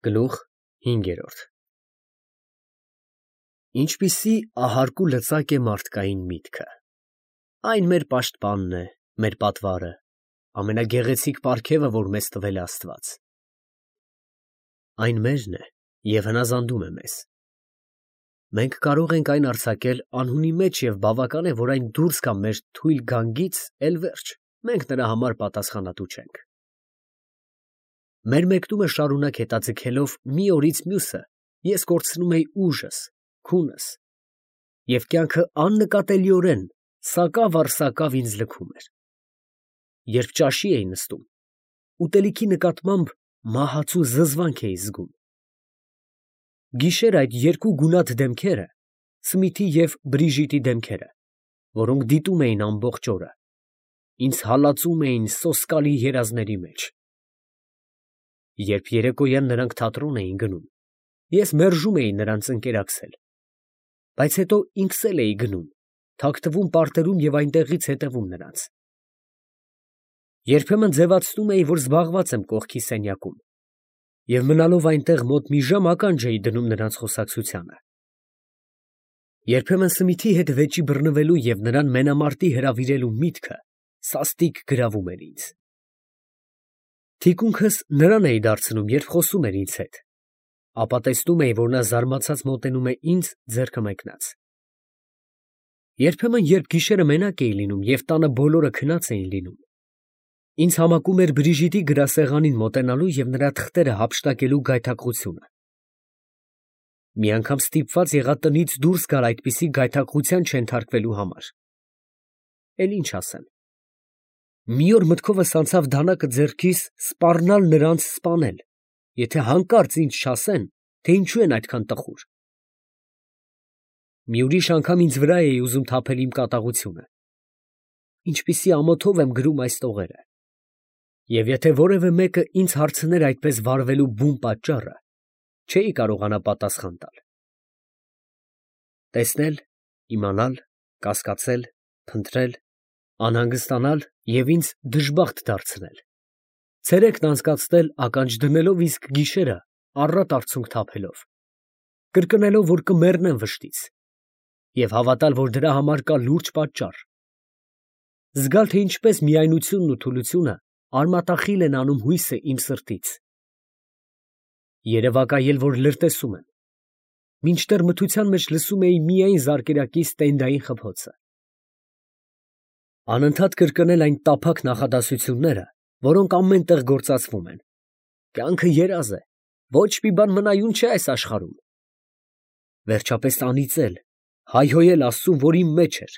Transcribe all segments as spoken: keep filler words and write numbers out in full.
Գլուխ հինգերորդ Ինչպիսի ահարկու լծակ է մարդկային միտքը, այն մեր պաշտպանն է, մեր պատվարը, ամենագեղեցիկ պարգևը, որ մեզ տվել է Աստված. այն մերն է և հնազանդում է մեզ. մենք կարող ենք այն արձակել անհունի մեջ և բավական է, որ այն դուրս գա մեր թույլ գանգից, էլ վերջ, մենք նրա համար պատասխանատու չենք: Մեր մեկնումը շարունակ հետաձգելով մի օրից մյուսը, ես կորցնում էի ուժս, քունս, և կյանքը աննկատելիորեն սակավ առ սակավ ինձ լքում էր: Երբ ճաշի էի նստում, ուտելիքի նկատմամբ մահացու զզվանք էի զգում: Գիշեր այդ երկու գունատ դեմքերը, Սմիթի և Բրիժիտի դեմքերը, որոնք դիտում էին ամբողջ օրը, ինձ հալածում էին սոսկալի երազների մեջ: Երբ երեկոյան նրանք թատրոն էին գնում, ես մերժում էի նրանց ընկերակցել, բայց հետո ինքս էլ էի գնում, թաքթվում պարտերում և այնտեղից հետևում նրանց: Երբեմն ձևացնում էի, որ զբաղված եմ կողքի սենյակում և մնալով այնտեղ մոտ մի ժամ ականջ էի դնում նրանց խոսակցությանը: Երբեմն Սմիթի հետ վեճի բռնվելու և նրան մենամարտի հրավիրելու միտքը սաստիկ գրավում էր ինձ: Թիկունքս նրան էի դարձնում, երբ խոսում էր ինձ հետ, ապա տեսնում էի, որ նա զարմացած մոտենում է ինձ ձեռքը մեկնած: Երբեմն, երբ գիշերը մենակ էի լինում և տանը բոլորը քնած էին լինում, ինձ համակում էր Բրիժիտի գրասեղանին մոտենալու և նրա թղթերը հափշտակելու գայթակղությունը: Մի անգամ ստիպված եղա տնից դուրս գալ այդպիսի գայթակղության չենթարկվելու համար: Էլ ինչ ասեմ, մի օր մտքովս անցավ դանակը ձեռքիս սպառնալ նրանց սպանել, եթե հանկարծ ինձ չասեն, թե ինչու են այդքան տխուր: Մի ուրիշ անգամ ինձ վրա էի ուզում թափել իմ կատաղությունը: Ինչպիսի ամոթով եմ գրում այս տողերը, և եթե որևէ մեկը ինձ հարցներ այդպես վարվելու բուն պատճառը, չէի կարողանա պատասխան տալ: Տեսնել, իմանալ, կասկածել, փնտրել, անհանգստանալ և ինձ դժբախտ դարձնել, ցերեկն անցկացնել ականջ դնելով, իսկ գիշերը առատ արցունք թափելով, կրկնելով, որ կմեռնեմ վշտից, և հավատալ, որ դրա համար կա լուրջ պատճառ, զգալ, թե ինչպես միայնությունն ու թուլությունը արմատախիլ են անում հույսը իմ սրտից, երևակայել, որ լրտեսում եմ, մինչդեռ մթության մեջ լսում էի միայն զարկերակի ստենդային խփոցը: Անընդհատ կրկնել այն տափակ նախադասությունները, որոնք ամեն տեղ գործածվում են. «Կյանքը երազ է, ոչ մի բան մնայուն չէ այս աշխարհում»: Վերջապես անիծել, հայհոյել Աստծուն, որ իմ մեջ էր,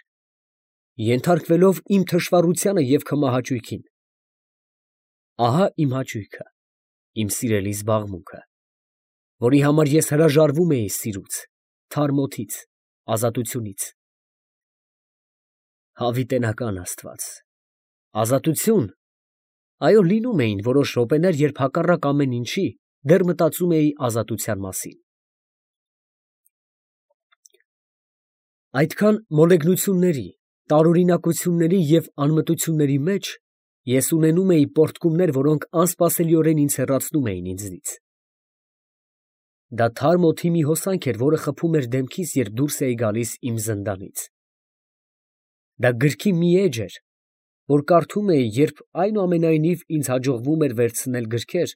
ենթարկվելով իմ թշվառությանը և քմահաճույքին: Ահա իմ հաճույքը, իմ սիրելի զբաղմունքը, որի համար ես հրաժարվում էի սիրուց, թարմ օդից, ազատությունից: Հավիտենական Աստված, ազատություն… այո, լինում էին որոշ րոպեներ, երբ հակառակ ամեն ինչի, դեռ մտածում էի ազատության մասին: Այդքան մոլեգնությունների, տարօրինակությունների և անմտությունների մեջ ես ունենում էի պոռթկումներ, որոնք անսպասելիորեն ինձ հեռացնում էին ինձնից: Դա թարմ օդի մի հոսանք էր, որը խփում էր դեմքիս, երբ դուրս էի գալիս իմ զնդանից: Դա գրքի մի էջ էր, որ կարդում էի, երբ այնուամենայնիվ ինձ հաջողվում էր վերցնել գրքեր,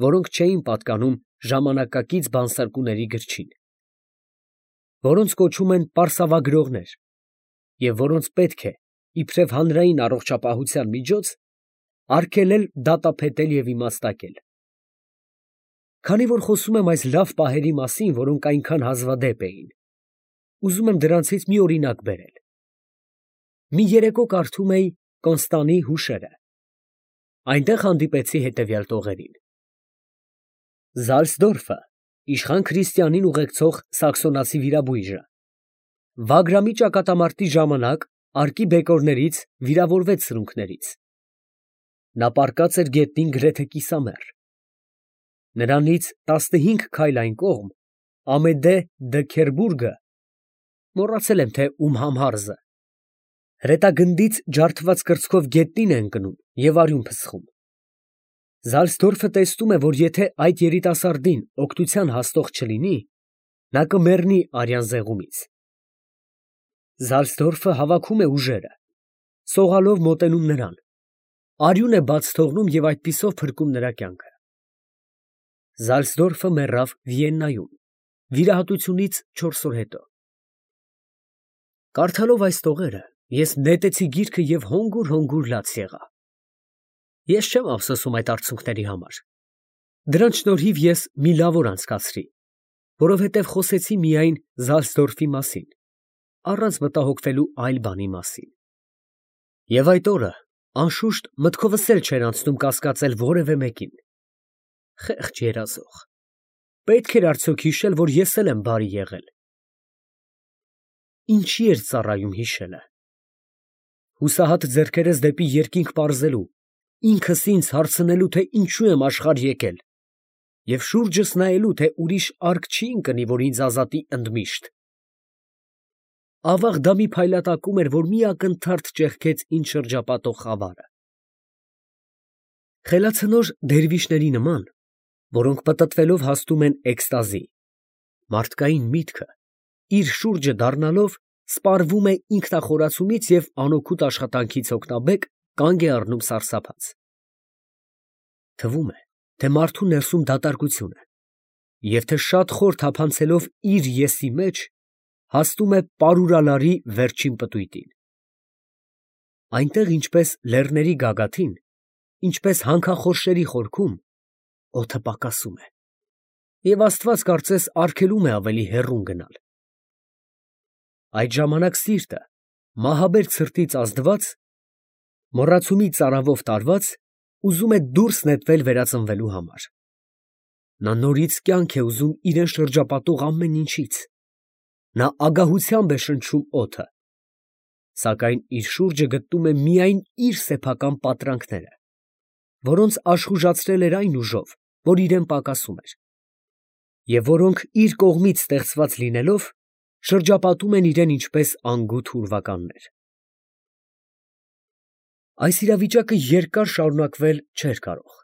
որոնք չէին պատկանում ժամանակակից բանսարկուների գրչին, որոնց կոչում են պարսավագրողներ և որոնց պետք է, իբրև հանրային առողջապահության միջոց, արգելել դատապետել և իմաստակել: Քանի որ խոսում եմ այս լավ պահերի մասին, որոնք այնքան հազվադեպ էին, ուզում եմ դրանցից մի օրինակ բերել: Մի երեկո կարդում էի Կոնստանի հուշերը: Այնտեղ հանդիպեցի հետևյալ տողերին. Զալցդորֆը, իշխան Քրիստիանին ուղեկցող սաքսոնացի վիրաբույժը, Վագրամի ճակատամարտի ժամանակ արկիբեկորներից վիրավորվեց սրունքներից: Նա պառկած էր գետնին գրեթե կիսամեռ: Նրանից տասնհինգ քայլ այն կողմ Ամեդե դը Քերբուրգը (մոռացել եմ, թե ում համհարզը) հրետագնդից ջարդված կրծքով գետնին է ընկնում և արյուն փսխում: Զալսդորֆը տեսնում է, որ եթե այդ երիտասարդին օգնության հասնող չլինի, նա կմեռնի արյան զեղումից։ Զալսդորֆը հավաքում է ուժերը, սողալով մոտենում նրան, արյուն է բաց թողնում և այդպիսով փրկում նրա կյանքը։ Զալսդորֆը մեռավ Վիեննայում, վիրահատությունից չորս օր հետո։ Կարդալով այս տողերը, ես նետեցի գիրքը և հոնգուր֊հոնգուր լաց եղա։ Ես չեմ ափսոսում այդ արցունքների համար։ Դրանց շնորհիվ ես մի լավ օր անցկացրի, որովհետև խոսեցի միայն Զալսդորֆի մասին, առանց մտահոգվելու այլ բանի մասին։ Եվ այդ օրը, անշուշտ, մտքովս էլ չէր անցնում կասկածել որևէ մեկին։ Խեղճ երազող, պետք էր արդյոք հիշել, որ ես էլ եմ բարի եղել։ Ինչի էր ծառայում հիշելը։ Հուսահատ ձեռքերս դեպի երկինք պարզելու, ինքս ինձ հարցնելու, թե ինչու եմ աշխարհ եկել, և շուրջս նայելու, թե ուրիշ արկ չի ընկնի, որ ինձ ազատի ընդմիշտ։ Ավաղ դա մի փայլատակում էր, որ մի ակնթարթ ճեղքեց ինձ շրջապատող խավարը։ Խելացնոր դերվիշների նման, որոնք պտտվելով հասնում են էքստազի, մարդկային միտքը, իր շուրջը դառնալով, սպառվում է ինքնախորացումից և անօգուտ աշխատանքից հոգնաբեկ կանգ է առնում սարսափած։ Թվում է, թե մարդու ներսում դատարկություն է, և թե շատ խոր թափանցելով իր եսի մեջ, հասնում է պարուրալարի վերջին պտույտին։ Այնտեղ, ինչպես լեռների գագաթին, ինչպես հանքախորշերի խորքում, օդը պակասում է, և աստված կարծես արգելում է ավելի հեռուն գնալ։ Այդ ժամանակ սիրտը, մահաբեր ցրտից ազդված, մոռացումի ծարավով տարված, ուզում է դուրս նետվել վերածնվելու համար։ Նա նորից կյանք է ուզում իրան շրջապատող ամեն ինչից։ Նա ագահությամբ է շնչում օդը, սակայն իր շուրջը գտնում է միայն իր սեփական պատրանքները, որոնց աշխուժացրել էր այն ուժով, որ իրան պակասում էր, և որոնք իր կողմից ստեղծված լինելով, շրջապատում են իրան ինչպես անգութ ուրվականներ։ Այս իրավիճակը երկար շարունակվել չէր կարող։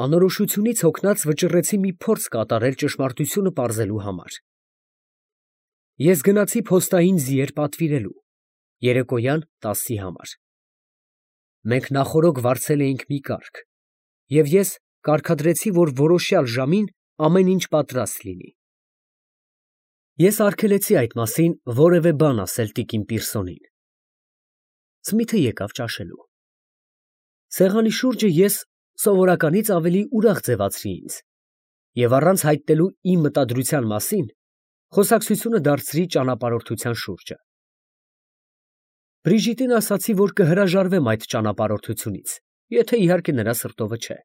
Անորոշությունից հոգնած վճռեցի մի փորձ կատարել ճշմարտությունը պարզելու համար։ Ես գնացի փոստային ձիեր պատվիրելու, երեկոյան տասի համար։ Մենք նախօրոք վարձել էինք մի կարգ, և ես կարգադրեցի, որ որոշյալ ժամին ամեն ինչ պատրաստ լինի։ Ես արգելեցի այդ մասին որևէ բան ասել տիկին Պիրսոնին։ Սմիթը եկավ ճաշելու։ Սեղանի շուրջը ես սովորականից ավելի ուրախ ձևացրի ինձ և առանց հայտնելու իմ մտադրության մասին, խոսակցությունը դարձրի ճանապարհորդության շուրջը։ Բրիժիտին ասացի, որ կհրաժարվեմ այդ ճանապարհորդությունից, եթե իհարկե նրա սրտովը չէ։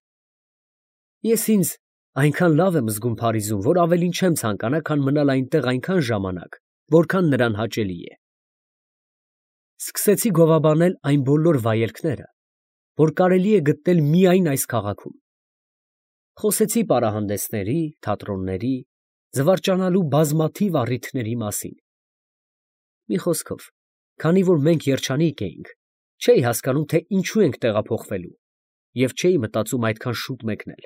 Ես ինձ այնքան լավ եմ զգում Փարիզում, որ ավելին չեմ ցանկանա, քան մնալ այնտեղ այնքան ժամանակ, որքան նրան հաճելի է։ Սկսեցի գովաբանել այն բոլոր վայելքները, որ կարելի է գտնել միայն այս քաղաքում։ Խոսեցի պարահանդեսների, թատրոնների, զվարճանալու բազմաթիվ առիթների մասին։ Մի խոսքով, քանի որ մենք երջանիկ էինք, չէի հասկանում, թե ինչու ենք տեղափոխվելու, և չէի մտածում այդքան շուտ մեկնել։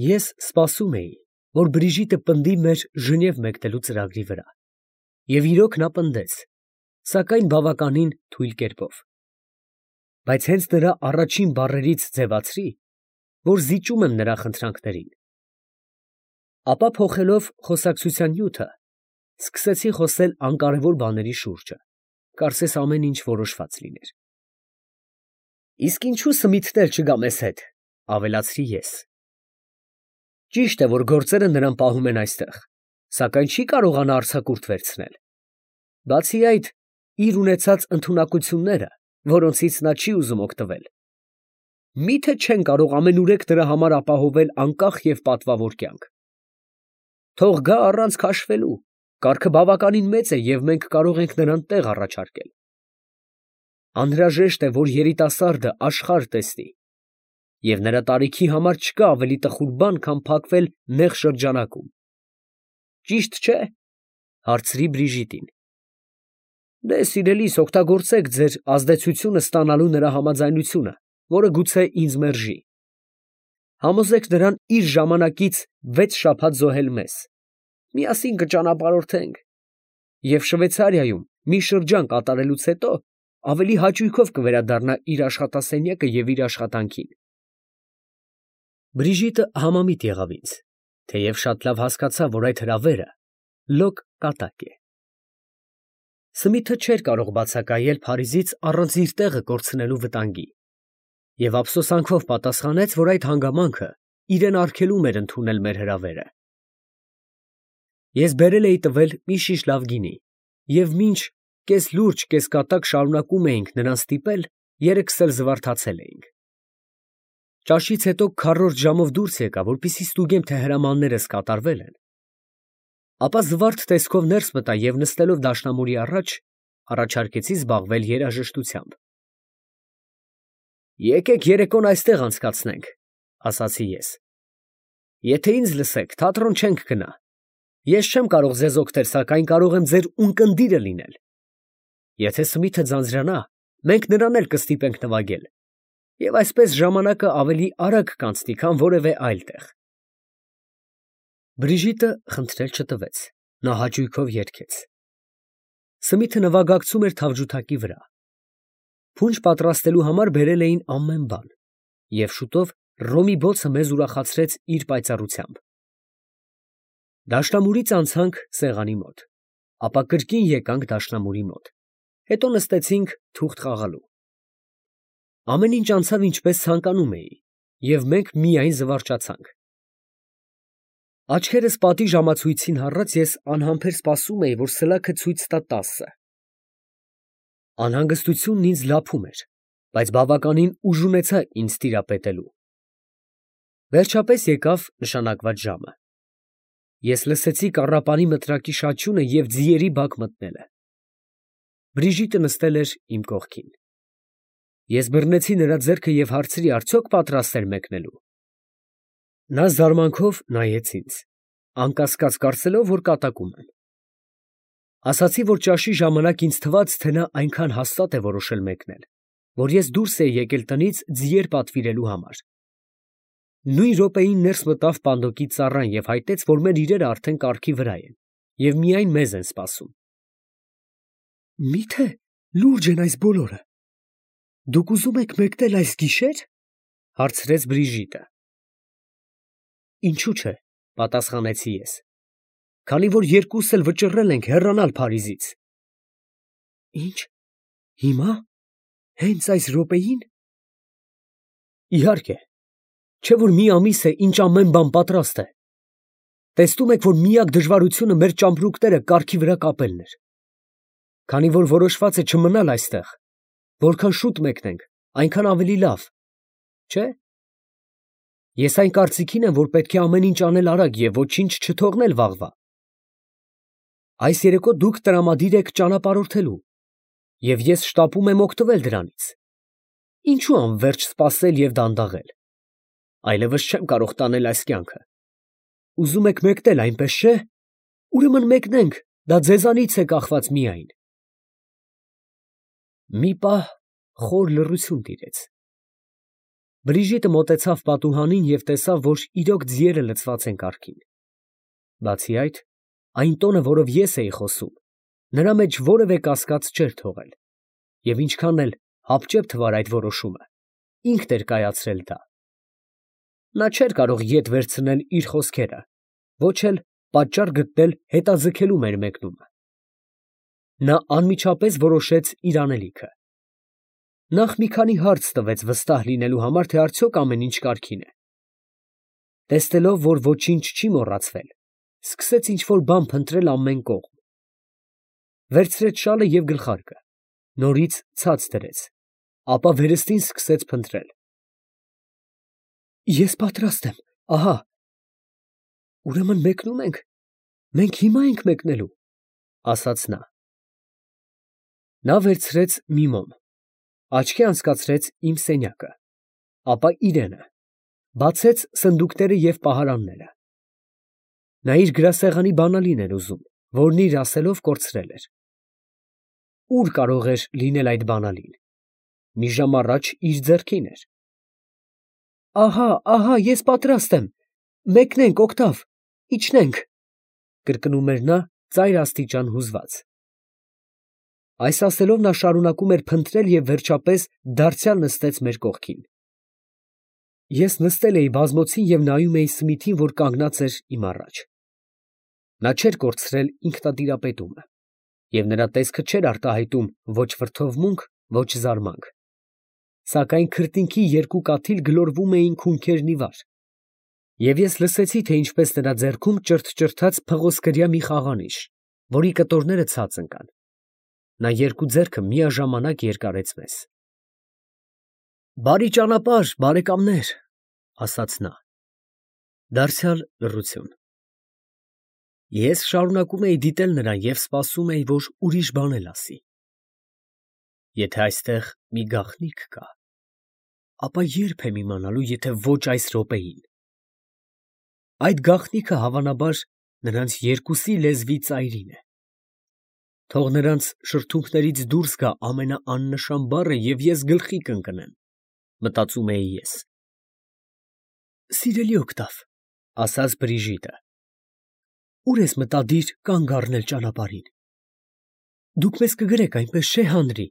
Ես սպասում էի, որ Բրիժիտը պնդի մեր Ժնև մեկնելու ծրագրի վրա, և իրոք նա պնդեց, սակայն բավականին թույլ կերպով։ Բայց հենց նրա առաջին բառերից ձևացրի, որ զիջում եմ նրա խնդրանքներին։ Ապա փոխելով խոսակցության նյութը, սկսեցի խոսել անկարևոր բաների շուրջը, կարծես ամեն ինչ որոշված լիներ։ Իսկ ինչու Սմիթն էլ չգա մեզ հետ, ավելացրի ես։ Ճիշտ է, որ գործերը նրան պահում են այստեղ, սակայն չի կարողանա արձակուրդ վերցնել։ Բացի այդ, իր ունեցած ընդունակությունները, որոնցից նա չի ուզում օգտվել, մի՞թե չեն կարող ամենուրեք նրա համար ապահովել անկախ և պատվավոր կյանք։ Թող գա առանց քաշվելու, կարգը բավականին մեծ է, և մենք կարող ենք նրան տեղ առաջարկել։ Անհրաժեշտ է, որ երիտասարդը աշխարհ տեսնի, և նրա տարիքի համար չկա ավելի տխուր բան, քան փակվել նեղ շրջանակում։ Ճիշտ չէ՞, հարցրի Բրիժիտին։ Դե, սիրելիս, օգտագործեք ձեր ազդեցությունը ստանալու նրա համաձայնությունը, որը գուցե ինձ մերժի։ Համոզեք նրան իր ժամանակից վեց շաբաթ զոհել մեզ. միասին կճանապարհորդենք և Շվեյցարիայում մի շրջան կատարելուց հետո ավելի հաճույքով կվերադառնա իր աշխատասենյակը և իր աշխատանքին։ Բրիժիտը համամիտ եղավ ինձ, թեև շատ լավ հասկացավ, որ այդ հրավերը լոկ կատակ է։ Սմիթը չէր կարող բացակայել Փարիզից առանց իր տեղը կորցնելու վտանգի և ափսոսանքով պատասխանեց, որ այդ հանգամանքը իրեն արգելում էր ընդունել մեր հրավերը։ Ես բերել էի տվել մի շիշ լավ գինի, և մինչ կես լուրջ, կես կատակ շարունակում էինք նրան ստիպել, երեքս էլ զվարթացել էինք։ Ճաշից հետո քառորդ ժամով դուրս եկա, որպեսզի ստուգեմ, թե հրամաններս կատարվել են, ապա զվարթ տեսքով ներս մտա և նստելով դաշնամուրի առաջ, առաջարկեցի զբաղվել երաժշտությամբ։ «Եկեք երեկոն այստեղ անցկացնենք», ասացի ես։ «Եթե ինձ լսեք, թատրոն չենք գնա։ Ես չեմ կարող ձեզ օգնել, սակայն կարող եմ ձեր ունկնդիրը լինել։ Եթե Սմիթը ձանձրանա, մենք նրան էլ կստիպենք նվագել, և այսպես ժամանակը ավելի արագ կանցնի, քան որևէ այլ տեղ»։ Բրիժիտը խնդրել չտվեց, նա հաճույքով երգեց։ Սմիթը նվագակցում էր թավջութակի վրա։ Փունջ պատրաստելու համար բերել էին ամեն բան, և շուտով ռոմի բոցը մեզ ուրախացրեց իր պայծառությամբ։ Դաշնամուրից անցանք սեղանի մոտ, ապա կրկին եկանք դաշնամուրի մոտ, հետո նստեցինք թուղթ խաղալու։ Ամեն ինչ անցավ ինչպես ցանկանում էի, և մենք միայն զվարճացանք։ Աչքերս պատի ժամացույցին հառած ես անհամբեր սպասում էի, որ սլաքը ցույց տա տասը։ Անհանգստությունն ինձ լափում էր, բայց բավականին ուժ ունեցա ինձ տիրապետելու։ Վերջապես եկավ նշանակված ժամը։ Ես լսեցի կառապանի մտրակի շաչյունը և ձիերի բակ մտնելը։ Բրիժիտը նստել էր իմ կողքին։ Ես բռնեցի նրա ձեռքը և հարցրի, արդյոք պատրաստ էր մեկնելու։ Նա զարմանքով նայեց ինձ, անկասկած կարծելով, որ կատակում եմ։ Ասացի, որ ճաշի ժամանակ ինձ թվաց, թե նա այնքան հաստատ է որոշել մեկնել, որ ես դուրս էի եկել տնից ձիեր պատվիրելու համար։ Նույն րոպեին ներս մտավ պանդոկի ծառան և հայտեց, որ մեր իրերը արդեն կառքի վրա են և միայն մեզ են սպասում։ «Մի՞թե լուրջ են այս բոլորը։ Դուք ուզում եք մեկնել այս գիշե՞ր», հարցրեց Բրիժիտը։ «Ինչու՞ չէ», պատասխանեցի ես, «քանի որ երկուսս էլ վճռել ենք հեռանալ Փարիզից»։ «Ի՞նչ, հիմա, հենց այս րոպեին»։ «Իհարկե, չէ՞ որ մի ամիս է, ինչ ամեն բան պատրաստ է։ Տեսնում եք, որ միակ դժվարությունը մեր ճամպրուկները կառքի վրա կապելն էր։ Քանի որ որոշված է չմնալ այստեղ, որքան շուտ մեկնենք, այնքան ավելի լավ, չէ՞։ Ես այն կարծիքին եմ, որ պետք է ամեն ինչ անել արագ և ոչինչ չթողնել վաղվա։ Այս երեկո դուք տրամադիր եք ճանապարհորդելու, և ես շտապում եմ օգտվել դրանից։ Ինչո՞ւ անվերջ սպասել և դանդաղել։ Այլևս չեմ կարող տանել այս կյանքը։ Ուզում եք մեկնել, այնպես չէ՞։ Ուրեմն մեկնենք, դա ձեզանից է կախված միայն։ Մի պահ խոր լռություն տիրեց։ Բրիժիտը մոտեցավ պատուհանին և տեսավ, որ իրոք ձիերը լցված են կառքին։ Բացի այդ, այն տոնը, որով ես էի խոսում, նրա մեջ որևէ կասկած չէր թողել, և ինչքան էլ հապճեպ թվար այդ որոշումը, ինքն էր կայացրել դա։ Նա չէր կարող ետ վերցնել իր խոսքերը, ոչ էլ պատճառ գտնել հետաձգելու մեր մեկնումը։ Նա անմիջապես որոշեց իր անելիքը։ Նախ մի քանի հարց տվեց վստահ լինելու համար, թե արդյոք ամեն ինչ կարգին է։ Տեսնելով, որ ոչինչ չի մոռացվել, սկսեց ինչ֊որ բան փնտրել ամեն կողմ։ Վերցրեց շալը և գլխարկը, նորից ցած դրեց, ապա վերստին սկսեց փնտրել։ «Ես պատրաստ եմ, ահա»։ «Ուրեմն մեկնո՞ւմ ենք, մենք հիմա ենք մեկնելու», ասաց նա։ Նա վերցրեց մի մոմ, աչքի անցկացրեց իմ սենյակը, ապա իրենը, բացեց սնդուկները և պահարանները։ Նա իր գրասեղանի բանալին էր ուզում, որն իր ասելով կորցրել էր։ Ո՞ւր կարող էր լինել այդ բանալին։ Մի ժամ առաջ իր ձեռքին էր։ Ահա, ահա, ես պատրաստ եմ, մեկնենք, օգտավ, իջնենք, կրկնում էր նա ծայր աստիճան հուզված։ Այս ասելով նա շարունակում էր փնտրել և վերջապես դարձյալ նստեց մեր կողքին։ Ես նստել էի բազմոցին և նայում էի Սմիթին, որ կանգնած էր իմ առաջ։ Նա չէր կորցրել ինքնատիրապետումը, և նրա տեսքը չէր արտահայտում ոչ վրդովմունք, ոչ զարմանք, սակայն քրտինքի երկու կաթիլ գլորվում էին քունքերն ի վար, և ես լսեցի, թե ինչպես նրա ձեռքում ճրթճրթաց փղոսկրյա մի խաղանիշ, որի կտորները ցած ընկան։ Նա երկու ձեռքը միաժամանակ երկարեց մեզ։ «Բարի ճանապարհ, բարեկամներ», ֊ ասաց նա։ Դարձյալ լռություն։ Ես շարունակում էի դիտել նրան և սպասում էի, որ ուրիշ բան էլ ասի։ Եթե այստեղ մի գաղտնիք կա, ապա ե՞րբ եմ իմանալու, եթե ոչ այս րոպեին։ Այդ գաղտնիքը, հավանաբար, նրանց երկուսի լեզվի ծայրին է։ Թող նրանց շրթունքներից դուրս գա ամենաաննշան բառը, և ես գլխի կընկնեմ, մտածում էի ես։ Սիրելի օգտավ, ֊ ասաց Բրիժիտը, ո՞ւր ես մտադիր կանգ առնել ճանապարհին։ Դուք մեզ կգրեք, այնպես չէ՞, Հանրի։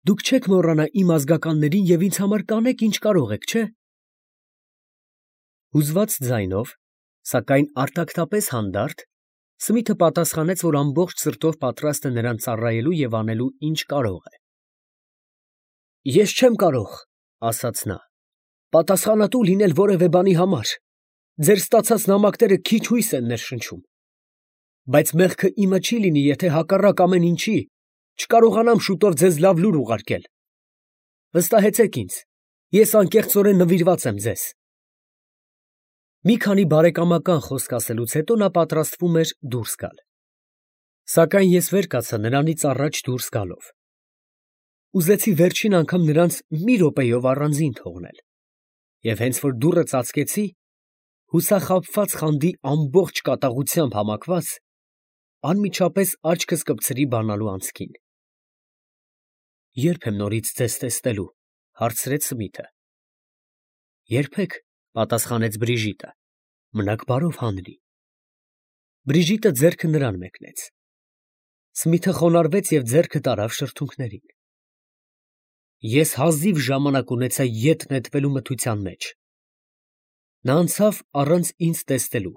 Դուք չեք մոռանա իմ ազգականներին և ինձ համար կանեք, ինչ կարող եք, չէ՞։ Հուզված ձայնով, սակայն արտակնապես հանդարտ, Սմիթը պատասխանեց, որ ամբողջ սրտով պատրաստ է նրան ծառայելու և անելու, ինչ կարող է։ Ես չեմ կարող, ֊ ասաց նա, ֊ պատասխանատու լինել որևէ բանի համար. ձեր ստացած նամակները քիչ հույս են ներշնչում, բայց մեղքը իմը չի լինի, եթե հակառակ ամեն ինչի չկարողանամ շուտով ձեզ լավ լուր ուղարկել։ Վստահեցեք ինձ, ես անկեղծորեն նվիրված եմ ձեզ։ Մի քանի բարեկամական խոսք ասելուց հետո նա պատրաստվում էր դուրս գալ, սակայն ես վեր կացա նրանից առաջ դուրս գալով։ Ուզեցի վերջին անգամ նրանց մի րոպեով առանձին թողնել, և հենց որ դուռը ծածկեցի, հուսախաբված խանդի ամբողջ կատաղությամբ համակված, անմիջապես աչքս կպցրի բանալու անցքին։ Ե՞րբ եմ նորից ձեզ տեսնելու, ֊ հարցրեց Սմիթը։ Երբեք, ֊ պատասխանեց Բրիժիտը, ֊ մնաք բարով, Հանրի։ Բրիժիտը ձեռքը նրան մեկնեց։ Սմիթը խոնարհվեց և ձեռքը տարավ շրթունքներին։ Ես հազիվ ժամանակ ունեցա ետ նետվելու մթության մեջ։ Նա անցավ առանց ինձ տեսնելու,